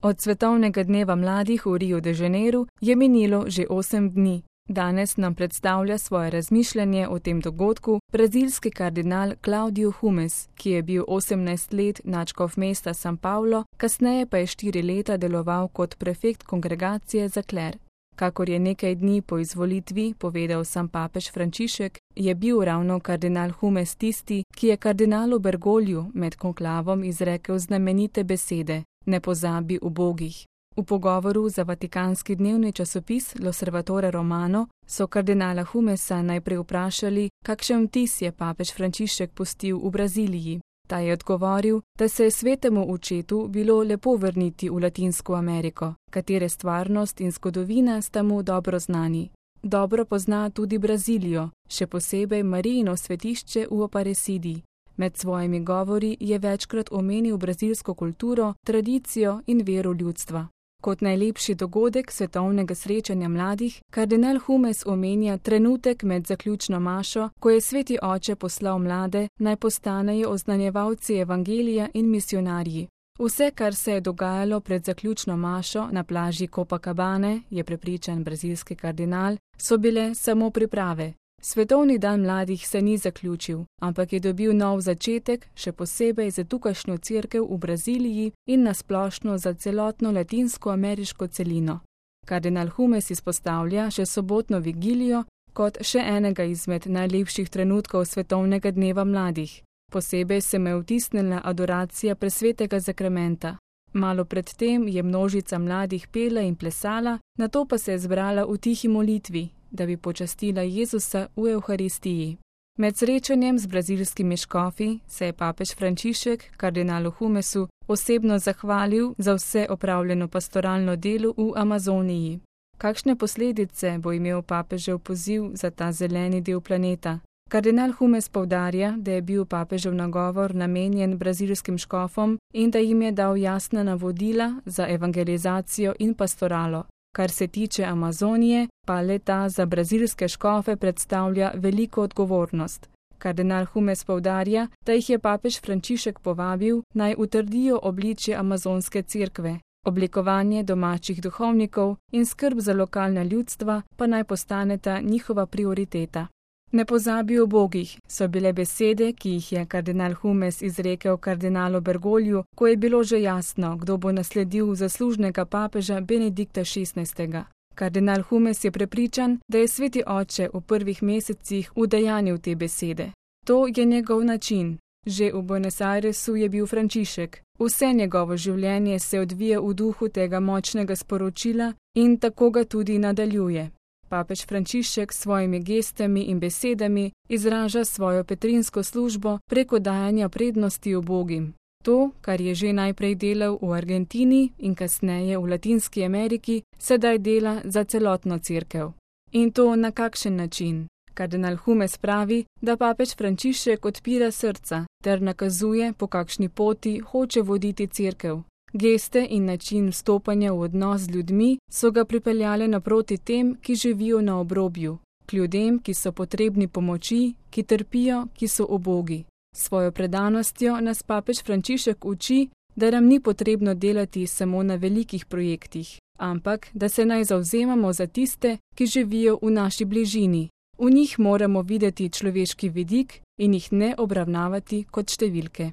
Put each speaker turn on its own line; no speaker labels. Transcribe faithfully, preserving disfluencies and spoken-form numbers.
Od svetovnega dneva mladih v Riu de Janeiru je minilo že osem dni. Danes nam predstavlja svoje razmišljanje o tem dogodku brazilski kardinal Claudio Humes, ki je bil osemnajst let nadškof mesta São Paulo, kasneje pa je štiri leta deloval kot prefekt kongregacije za kler. Kakor je nekaj dni po izvolitvi povedal sam papež Frančišek, je bil ravno kardinal Humes tisti, ki je kardinalu Bergogliju med konklavom izrekel znamenite besede: ne pozabi ubogih. V pogovoru za vatikanski dnevni časopis L'Osservatore Romano so kardinala Humesa najprej vprašali, kakšen vtis je papež Frančišek pustil v Braziliji. Ta je odgovoril, da se je svetemu očetu bilo lepo vrniti v Latinsko Ameriko, katere stvarnost in zgodovina sta mu dobro znani. Dobro pozna tudi Brazilijo, še posebej Marijino svetišče v Aparecidi. Med svojimi govori je večkrat omenil brazilsko kulturo, tradicijo in vero ljudstva. Kot najlepši dogodek svetovnega srečanja mladih, kardinal Humes omenja trenutek med zaključno mašo, ko je sveti oče poslal mlade, naj postanejo oznanjevalci evangelija in misionarji. Vse, kar se je dogajalo pred zaključno mašo na plaži Copacabane, je prepričan brazilski kardinal, so bile samo priprave. Svetovni dan mladih se ni zaključil, ampak je dobil nov začetek, še posebej za tukajšnjo cerkev v Braziliji in nasplošno za celotno latinsko-ameriško celino. Kardinal Humes izpostavlja še sobotno vigilijo kot še enega izmed najlepših trenutkov svetovnega dneva mladih. Posebej se me je vtisnila adoracija presvetega zakramenta. Malo pred tem je množica mladih pela in plesala, nato pa se je zbrala v tihi molitvi, da bi počastila Jezusa v Evharistiji. Med srečanjem z brazilskimi škofi se je papež Frančišek kardinalu Humesu osebno zahvalil za vse opravljeno pastoralno delo v Amazoniji. Kakšne posledice bo imel papežev poziv za ta zeleni del planeta? Kardinal Humes poudarja, da je bil papežev nagovor namenjen brazilskim škofom in da jim je dal jasna navodila za evangelizacijo in pastoralo. Kar se tiče Amazonije, pa le ta za brazilske škofe predstavlja veliko odgovornost. Kardinal Humes poudarja, da jih je papež Frančišek povabil, naj utrdijo obličje amazonske cerkve. Oblikovanje domačih duhovnikov in skrb za lokalna ljudstva pa naj postaneta njihova prioriteta. Ne pozabi ubogih, so bile besede, ki jih je kardinal Humes izrekel kardinalu Bergogliju, ko je bilo že jasno, kdo bo nasledil zaslužnega papeža Benedikta šestnajstega. Kardinal Humes je prepričan, da je sveti oče v prvih mesecih udejanil te besede. To je njegov način. Že v Buenos Airesu je bil Frančišek. Vse njegovo življenje se odvija v duhu tega močnega sporočila in tako ga tudi nadaljuje. Papež Frančišek s svojimi gestami in besedami izraža svojo petrinsko službo preko dajanja prednosti ubogim. To, kar je že najprej delal v Argentini in kasneje v Latinski Ameriki, sedaj dela za celotno cerkev. In to na kakšen način? Kardinal Humes pravi, da papež Frančišek odpira srca ter nakazuje, po kakšni poti hoče voditi cerkev. Geste in način vstopanja v odnos z ljudmi so ga pripeljale naproti tem, ki živijo na obrobju, k ljudem, ki so potrebni pomoči, ki trpijo, ki so ubogi. S svojo predanostjo nas papež Frančišek uči, da nam ni potrebno delati samo na velikih projektih, ampak da se naj zavzemamo za tiste, ki živijo v naši bližini. V njih moramo videti človeški vidik in jih ne obravnavati kot številke.